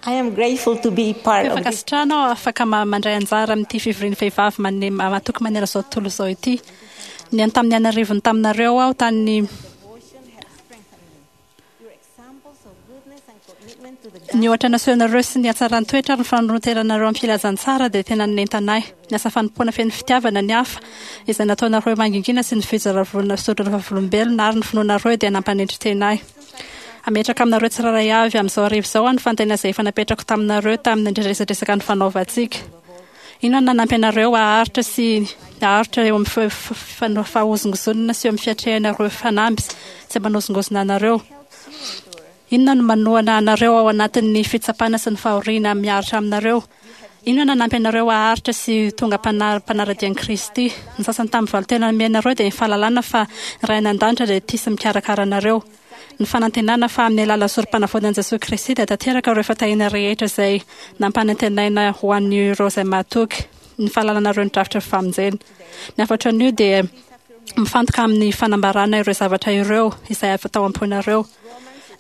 I am grateful to be part Feno of this fankasitrahana aho afaka mandray anjara amin'ity fivorian'ny vehivavy mane- matoky manerana izao tontolo izao ity. Nihaino tamin'ny an'arivony taminareo aho tany devotion has strengthened me. Your examples of goodness and commitment to the Ny ohatra nasehonareo sy ny hatsaran'ny toetra ary ny fanoroteranareo amin'ny filazantsara dia tena nanentana ahy. Ny asa fanompoana feno fitiavana ny hafa izay nataonareo mangingina sy ny fijoroana vavolombelona ary ny finoanareo dia nampanetry tena ahy. Hametraka aminareo tsirairay avy amin'izao hariva izao aho ny fanontaniana izay efa napetrako taminareo tamin'ny resadresaka nifanaovantsika. Inona no nanampy anareo haharitra sy haharitra eo amin'ny fahozongozonana sy eo amin'ny fiatrehana ireo fanamby izay manozongozona anareo? Inona no manohana anareo ao anatin'ny fitsapana sy ny fahoriana miaritra aminareo? Inona no nanampy anareo haharitra sy ho tonga mpanara-dia an'i Kristy? Ny sasany tamin'ny valin-tena nomenareo dia ny fahalalana fa ny Ray any An-danitra dia tia sy mikarakara anareo. Ny fanantenana fa amin'ny alalan'ny Sorompanavotan'i Jesoa Kristy dia tanteraka ireo fitahiana rehetra izay nampanantenaina ho an'ireo izay mahatoky. Ny fahalalanareo ny drafitry ny famonjena. Ny hafatra anio dia mifantoka amin'ny fanambarana ireo zavatra ireo izay avy tao am-ponareo.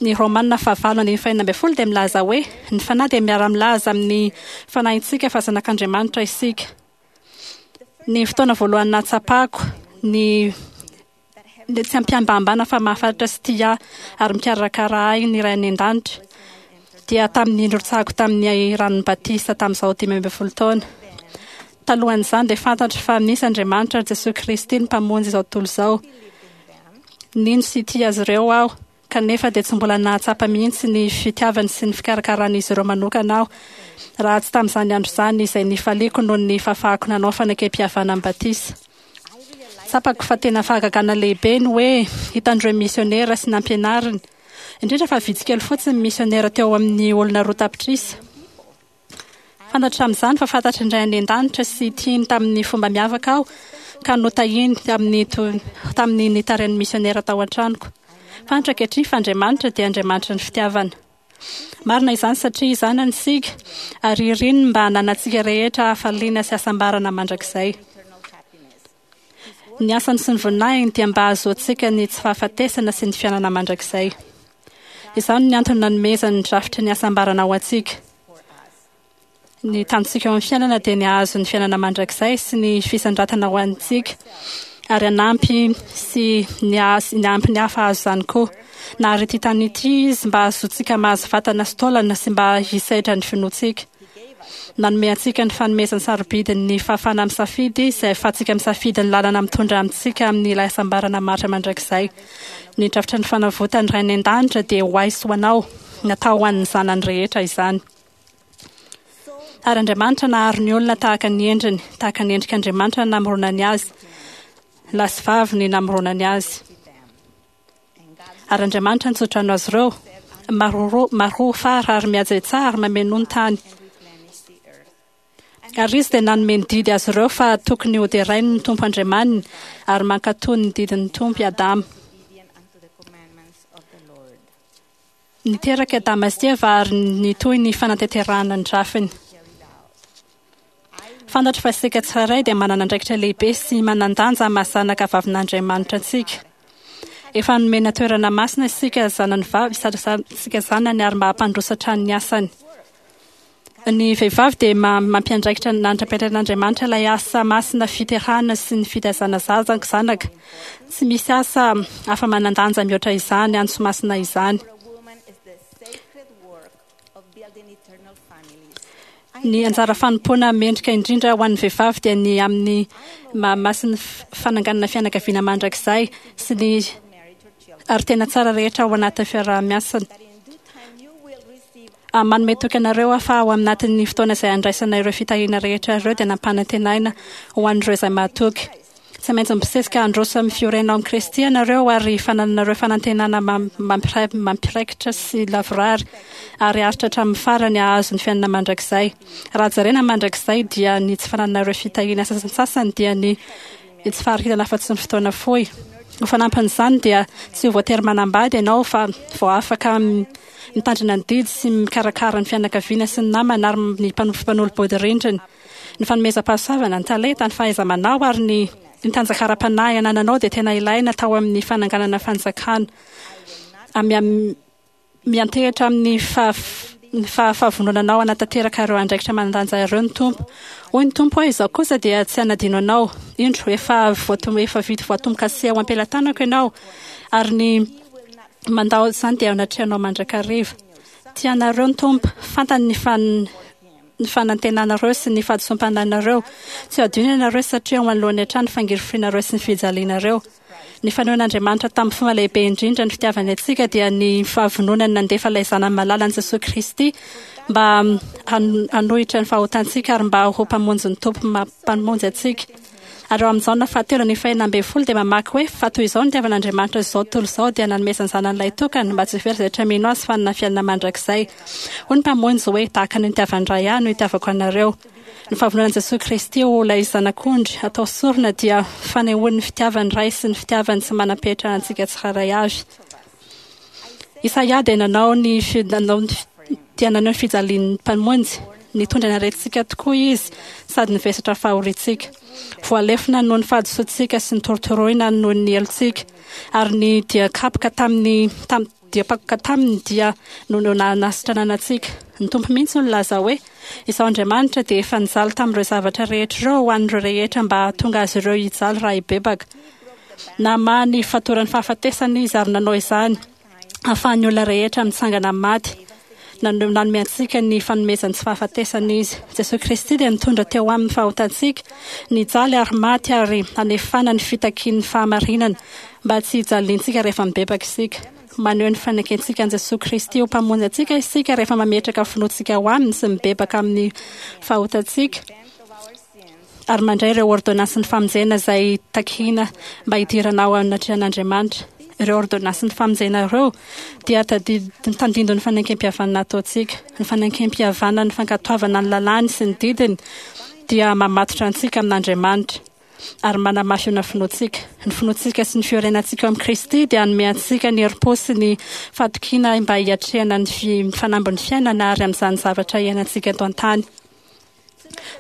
Ny Romana fahavalo andininy fahenina ambin'ny folo dia milaza hoe, Ny Fanahy dia miara-milaza amin'ny fanahintsika fa zanak'Andriamanitra isika. Ny fotoana voalohany nahatsapako ny tsy ampiambambana fa mahafantatra sy tia ahy ary mikarakara ahy ny Ray any An-danitra dia tamin'ny nirotsahako tamin'ny ranon'ny batisa tamin'izaho 15 taona. Talohan'izany dia fantatro fa misy Andriamanitra ary Jesoa Kristy ny Mpamonjy izao tontolo izao. Nino sy tia azy ireo aho, kanefa dia tsy mbola nahatsapa mihitsy ny fitiavany sy ny fikarakaran'izy ireo manokana aho, raha tsy tamin'izany andro izany izay nifaliako noho ny fahafahako nanao fanekempihavanan'ny batisa. Tsapako fa tena fahagagana lehibe ny hoe hitan'ireo misionera sy nampianariny, indrindra fa vitsy kely fotsiny ny misionera teo amin'ny olona 2 tapitrisa. Fantatro tamin'izany fa fantatry ny Ray any An-danitra sy tiany tamin'ny fomba miavaka aho ka notahiany tamin'ny tamin'ny nitarihan'ny misionera tao an-tranoko. Fantatro ankehitriny fa Andriamanitra dia Andriamanitry ny fitiavana. Marina izany satria zanany isika ary iriny mba hananantsika rehetra hafaliana sy hasambarana mandrakizay. Ny asany sy ny voninahiny dia mba hahazoantsika ny tsy fahafatesana sy ny fiainana mandrakizay. Izany no antony nanomezany ny drafitry ny hasambarana ho antsika. Ny tanjontsika eo amin'ny fiainana dia ny hahazo ny fiainana mandrakizay sy ny fisandratana ho antsika ary hanampy sy ny hanampy ny hafa hahazo izany koa. Nahary ity tany ity Izy mba hahazoantsika mahazo vatana sy taolana sy mba hisedra ny finoantsika. Nanome antsika ny fanomezany sarobidy ny fahafahana misafidy izay ahafahantsika misafidy ny lalana mitondra amintsika amin'ilay hasambarana maharitra mandrakizay. Ny drafitra ny fanavotan'ny Ray any An-danitra dia ho ahy sy ho anao. Natao ho an'ny zanany rehetra izany. Ary Andriamanitra nahary ny olona tahaka ny endriny, tahaka ny endrik'Andriamanitra no namoronany azy, lahy sy vavy ny namoronany azy. Ary Andriamanitra nitsodrano azy ireo, Maroa, maroa fara ary mihajetsaha ary mamenoa ny tany. Ary Izy dia nanome ny didy azy ireo fa tokony hoderainy ny Tompo Andriamaniny ary mankatò ny didin'ny Tompo i Adama. Niteraka i Adama sy Eva ary nitohy ny fanatanterahana ny drafiny. Fantatro fa isika tsirairay dia manana andraikitra lehibe sy manan-danja amin'ny maha zanaka vavin'Andriamanitra antsika. Efa nomena toerana masina isika zanany vavy, isika zanany ary mba hampandroso hatrany ny asany. Ny vehivavy dia mampiandraikitra nandrapetrain'Andriamanitra ilay asa masina fiterahana sy ny fitaizana zaza zanaka. Tsy misy asa hafa manan-danja mihoatra izany antso masina izany. Ny anjara fanompoana mendrika indrindra ho an'ny vehivavy dia ny amin'ny maha masin'ny fananganana fianakaviana mandrakizay sy ny ary tena tsara rehetra ao anatin'ny fiaraha-miasana. Manome toky anareo aho fa ao anatin'ny fotoana izay handraisana ireo fitahiana rehetra ireo dia nampanantenaina ho an'ireo izay mahatoky. Tsy maintsy mibosesika handroso amin'ny fiorenana ao amin'i Kristy ianareo ary fanananareo fanantenana mampiraikitra sy lavorary ary haharitra hatramin'ny farany hahazo ny fiainana mandrakizay. Raha jerena ny mandrakizay dia ny tsy fanananareo fitahiana sasantsasany dia ny tsy faharetana afa-tsy ny fotoana fohy. Ho fanampin'izany dia tsy ho voatery manambady ianao fa vao afaka Mitandrina ny didy sy mikarakara ny fianakaviana sy ny namana ary ny mpanolo-bodirindrina. Ny fanomezam-pahasoavana, ny talenta, ny fahaiza-manao ary ny ny tanjaka ara-panahy anananao dia tena ilaina tao amin'ny fananganana fanjakana. Miantehitra amin'ny ny fahavononanao hanatanteraka ireo andraikitra manan-danja ireo ny Tompo. Hoy ny Tompo hoe, Izaho kosa dia tsy hanadino anao. Indro, efa efa vita voatombo-kase ao am-pelatanako ianao, ary ny mandao izany dia eo anatrehanao mandrakariva. Tia anareo ny Tompo. Fantany ny fan ny fanantenanareo sy ny fahadisoam-panahinareo. Tsy ho adino ianareo satria eo anoloany hatrany ny fangirifirianareo sy ny fijalianareo. Ny fanehoan'Andriamanitra tamin'ny fomba lehibe indrindra ny fitiavany antsika dia ny fahavononany nandefa ilay Zanany malalany Jesoa Kristy mba hanohitra ny fahotantsika ary mba ho Mpamonjy ny Tompo Mpamonjy antsika. Ary ao amin'ny Jaona fahatelo andininy fahena ambin'ny folo dia mamaky hoe, Fa toy izao no nitiavan'Andriamanitra izao tontolo izao dia nanomezany Zanany lahitokana mba tsy ho very izay rehetra mino Azy fa hanana fiainana mandrakizay. Hoy ny Mpamonjy hoe, Tahaka ny nitiavan'ny Ray Ahy no itiavako anareo. Ny fahavononan'i Jesoa Kristy ho ilay Zanak'ondry atao sorona dia fanehoany ny fitiavan'ny Ray sy ny fitiavany tsy manam-petra antsika tsirairay avy. Isaia dia nanao ny dia naneho ny fijalian'ny Mpamonjy. Nitondra ny aretintsika tokoa Izy sady nivesatra fahoriantsika. Voalefona noho ny fahadisoantsika sy notorotoroina noho ny helotsika, ary ny dia kapoka tamin'ny dia mpakoka taminy dia no nanasitranana antsika. Ny Tompo mihitsy no nilaza hoe, Izaho Andriamanitra dia efa nijaly tamin'ireo zavatra rehetra ireo ho an'ireo rehetra mba hahatonga azy ireo hijaly raha hibebaka. Namaha ny fatoran'ny fahafatesana Izy ary nanao izany hahafahan'ny olona rehetra mitsangana amin'ny maty. Nanome antsika ny fanomezan'ny tsy fahafatesana Izy. Jesoa Kristy dia nitondra teo aminy ny fahotantsika, nijaly ary maty ary hanefana ny fitakian'ny fahamarinana mba tsy hijaliantsika rehefa mibebaka isika. Maneho ny fanekentsika an'i Jesoa Kristy ho Mpamonjy antsika isika rehefa mametraka finoantsika ao Aminy sy mibebaka amin'ny fahotantsika ary mandray ireo ôrdônansin'ny famonjena izay takiana mba hidirana ao anatrehan'Andriamanitra. Ireo ôrdônansin'ny famonjena ireo dia tandindon'ny fanekempihavanana ataontsika. Ny fanekempihavanana, ny fankatoavana ny lalàny sy ny didiny dia mamatotra antsika amin'Andriamanitra. ary manamafy ny finoantsika. Ny finoantsika sy ny fiorenantsika ao amin'i Kristy dia hanome antsika ny herim-po sy ny fahatokiana mba hiatrehana ny fanambin'ny fiainana ary amin'izany zavatra iainantsika eto an-tany.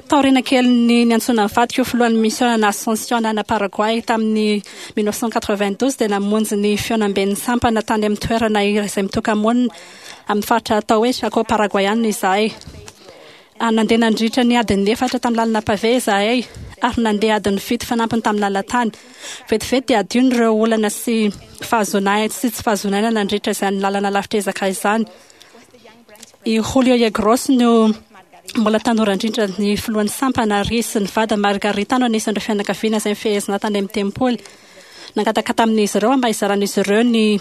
Taoriana kelin'ny niantsoana ny vadiko ho filohan'ny misiôna Ascension any Paraguay tamin'ny 1992 dia namonjy ny fihaonamben'ny sampana tany amin'ny toerana iray izay mitoka-monina amin'ny faritra atao hoe Chaco Paraguayana izahay. Nandeha nandritra ny adiny efatra tamin'ny lalana pavé izahay, ary nandeha adiny fito fanampiny tamin'ny lalan-tany. Vetivety dia adino ireo olana sy fahazoana aina sy tsy fahazoana aina nandritra izany lalana lavitr'ezaka izany. I Julio Yegros no mbola tanora indrindra ny filohan'ny sampana ary izy sy ny vadiny Margarita no anisan'ireo fianakaviana izay nifehezina tany amin'ny tempoly. Nangataka tamin'izy ireo mba hizaran'izy ireo ny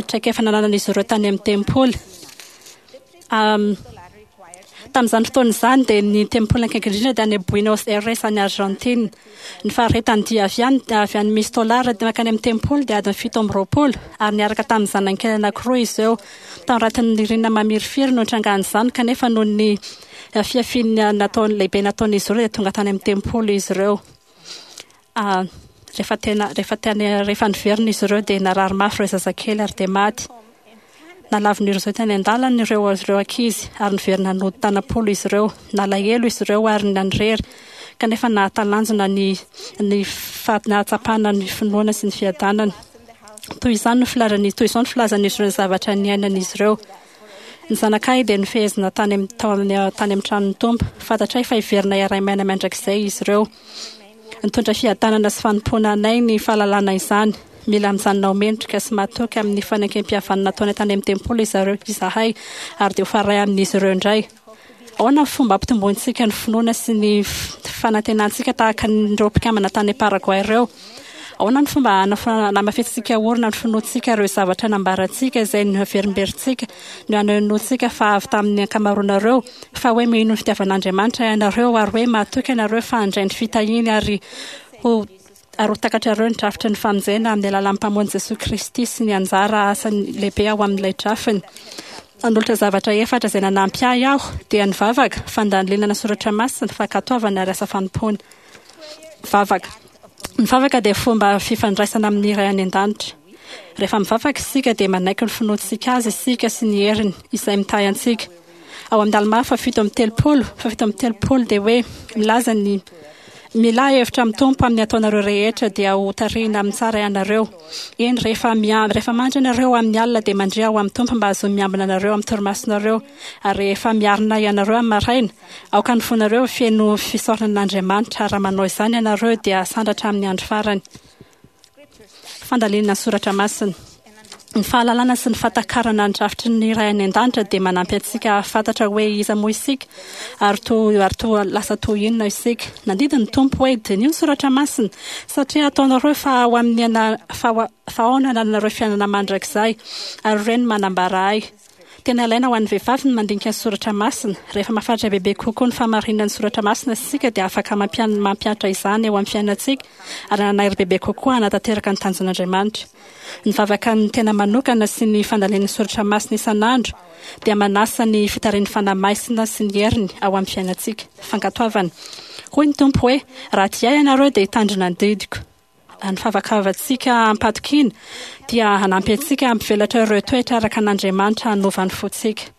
traikefa nananan'izy ireo tany amin'ny tempoly. Tamin'izany fotoana izany dia ny tempoly akaiky indrindra dia any Buenos Aires any Argentine. Ny faharetan'ny dia avy any avy any Mistolar mankany amin'ny tempoly dia adiny 27 ary niaraka tamin'ny zanany kely anankiroa izy ireo. Tao anatin'ny ririnina mamirifiry no nitrangan'izany kanefa noho ny fihafiana nataony lehibe nataon'izy ireo dia tonga tany amin'ny tempoly izy ireo. Rehefa tena rehefa tena rehefa niverina izy ireo dia narary mafy ireo zazakely ary dia maty. Nalavin'ireo izao teny an-dalana ireo ireo ankizy ary niverina nody tanam-polo izy ireo. Nalahelo izy ireo ary nanirery kanefa nahatalanjona ny ny nahatsapana ny finoana sy ny fiadanana. Toy izany no filazan'ny toy izao no filazan'izy ireo ny zavatra niainan'izy ireo. Ny zanakay dia nofehezina tany amin'ny tao amin'ny tany amin'ny tranon'ny Tompo. Fantatray fa hiverina hiara-miaina mandrakizay izy ireo. Nitondra fiadanana sy fanompoana anay ny fahalalana izany. Mila mijanona ho mendrika sy matoky amin'ny fanekempihavanana nataonay tany amin'ny tempoly izareo izahay ary dia ho faray amin'izy ireo indray. Ahoana ny fomba ampitombointsika ny finoana sy ny fanantenantsika tahaka an'ireo mpikambana tany Paraguay ireo? Ahoana ny fomba hanamafisitsika orina ny finoantsika ireo zavatra nambarantsika izay noaverimberintsika no hanohenoantsika fa avy tamin'ny ankamaroanareo fa hoe mino ny fitiavan'Andriamanitra ianareo ary hoe mahatoky ianareo fa handray ny fitahiany ary ho ary ho takatrareo ny drafitry ny famonjena amin'ny alalan'ny Mpamonjy Jesoa Kristy sy ny anjara asany lehibe ao amin'ilay drafiny. Hanolotra zavatra efatra izay nanampy ahy aho, dia ny vavaka, fandalinana soratra masina, fankatoavana ary asa fanompoana. Vavaka. Ny vavaka dia fomba fifandraisana amin'ny Ray any An-danitra. Rehefa mivavaka isika dia manaiky ny finoantsika Azy isika sy ny heriny izay mitahy antsika. Ao amin'ny Almà faha 37, faha 37 dia hoe milaza ny. Milà hevitra amin'ny Tompo amin'ny ataonareo rehetra dia ho tarihina amin'ny tsara ianareo. Eny, rehefa rehefa mandry ianareo amin'ny alina dia mandria ao amin'ny Tompo mba hahazoany miambina anareo amin'ny torimasonareo. Ary rehefa miarina ianareo amin'ny maraina, aoka ny fonareo ho feno fisaorana an'Andriamanitra, raha manao izany ianareo dia hasandratra amin'ny andro farany. Fandalinana ny soratra masina. Ny fahalalana sy ny fahatakarana ny drafitry ny Ray any An-danitra dia manampy antsika hahafantatra hoe iza moa isika ary toa ary toa lasa toy inona isika. Nandidy ny Tompo hoe, Diniho ny soratra masina, satria ataonareo fa ao amin'ny ana fa fa ao no anananareo fiainana mandrakizay, ary ireny no manambara Ahy. Tena ilaina ho an'ny vehivavy ny mandinika ny soratra masina. Rehefa mahafantatra bebe kokoa ny fahamarinan'ny soratra masina isika dia afaka mampihatra izany eo amin'ny fiainantsika ary hanana hery bebe kokoa hanatanteraka ny tanjon'Andriamanitra. Ny vavaka ny tena manokana sy ny fandalinana ny soratra masina isan'andro dia manasa ny fitarihan'ny Fanahy Masina sy ny heriny ao amin'ny fiainantsika. Fankatoavana. Hoy ny Tompo hoe, Raha tia Ahy ianareo dia hitandrina ny didiko. Ny favakavantsika am-patokiana dia hanampy antsika hampivelatra ireo toetra araka an'Andriamanitra hanova ny fontsika.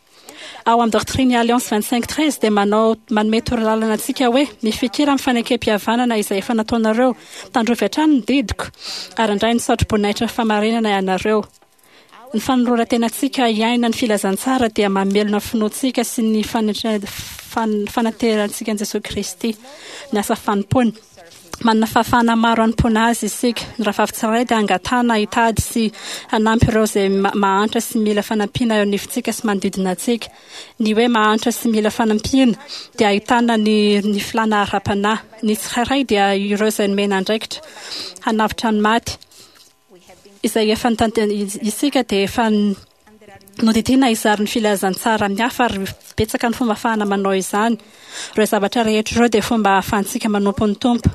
Ao amin'ny Doctrine et Alliances 25 13 dia manao manome torolalana antsika hoe, Mifikira amin'ny fanekempihavanana izay efa nataonareo, tandrovy hatrany ny didiko, ary handray ny satroboninahitry ny fahamarinana ianareo. Ny fanoloran-tenantsika hiaina ny filazantsara dia mamelona ny finoantsika sy ny fanaterantsika an'i Jesoa Kristy. Ny asa fanompoana. Manana fahafahana maro hanompoana Azy isika. Ny rahavavy tsirairay dia angatahana hitady sy hanampy ireo izay mahantra sy mila fanampiana eo anivontsika sy manodidina antsika. Ny hoe mahantra sy mila fanampiana dia ahitana ny ny filàna ara-panahy. Ny tsirairay dia ireo izay nomena andraikitra hanavotra ny maty. Izay efa isika dia efa nodidiana hizara ny filazantsara amin'ny hafa ary betsaka ny fomba ahafahana manao izany. Ireo zavatra rehetra ireo dia fomba ahafahantsika manompo ny Tompo.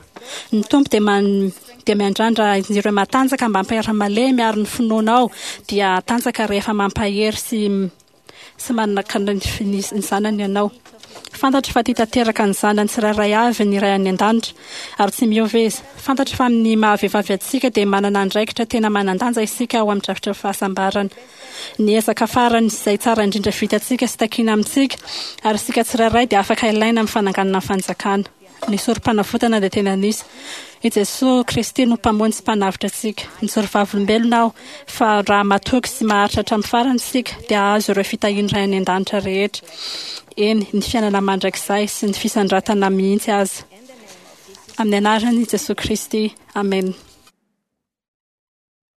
Ny Tompo dia man, dia miandrandra ireo matanjaka mba hampahery ny malemy ary ny finoanao dia hatanjaka rehefa mampahery sy sy manakana ny zanany ianao. Fantatro fa tia tanteraka ny zanany tsirairay avy ny Ray any An-danitra, ary tsy miova Izy. Fantatro fa amin'ny maha-vehivavy antsika dia manana andraikitra tena manan-danja isika ao amin'ny drafitry ny fahasambarana. Ny ezaka farany izay tsara indrindra vitantsika sy takiana amintsika, ary isika tsirairay dia afaka ilaina amin'ny fananganana ny fanjakana. Ny Sorompanavotana dia tena nisy. I Jesoa Kristy no Mpamonjy sy Mpanavotra antsika. Mijoro vavolombelona aho fa raha matoky sy maharitra hatramin'ny farany isika dia hahazo ireo fitahian'ny Ray any An-danitra rehetra, eny, ny fiainana mandrakizay sy ny fisandratana mihitsy aza. Amin'ny anaran'i Jesoa Kristy, amena.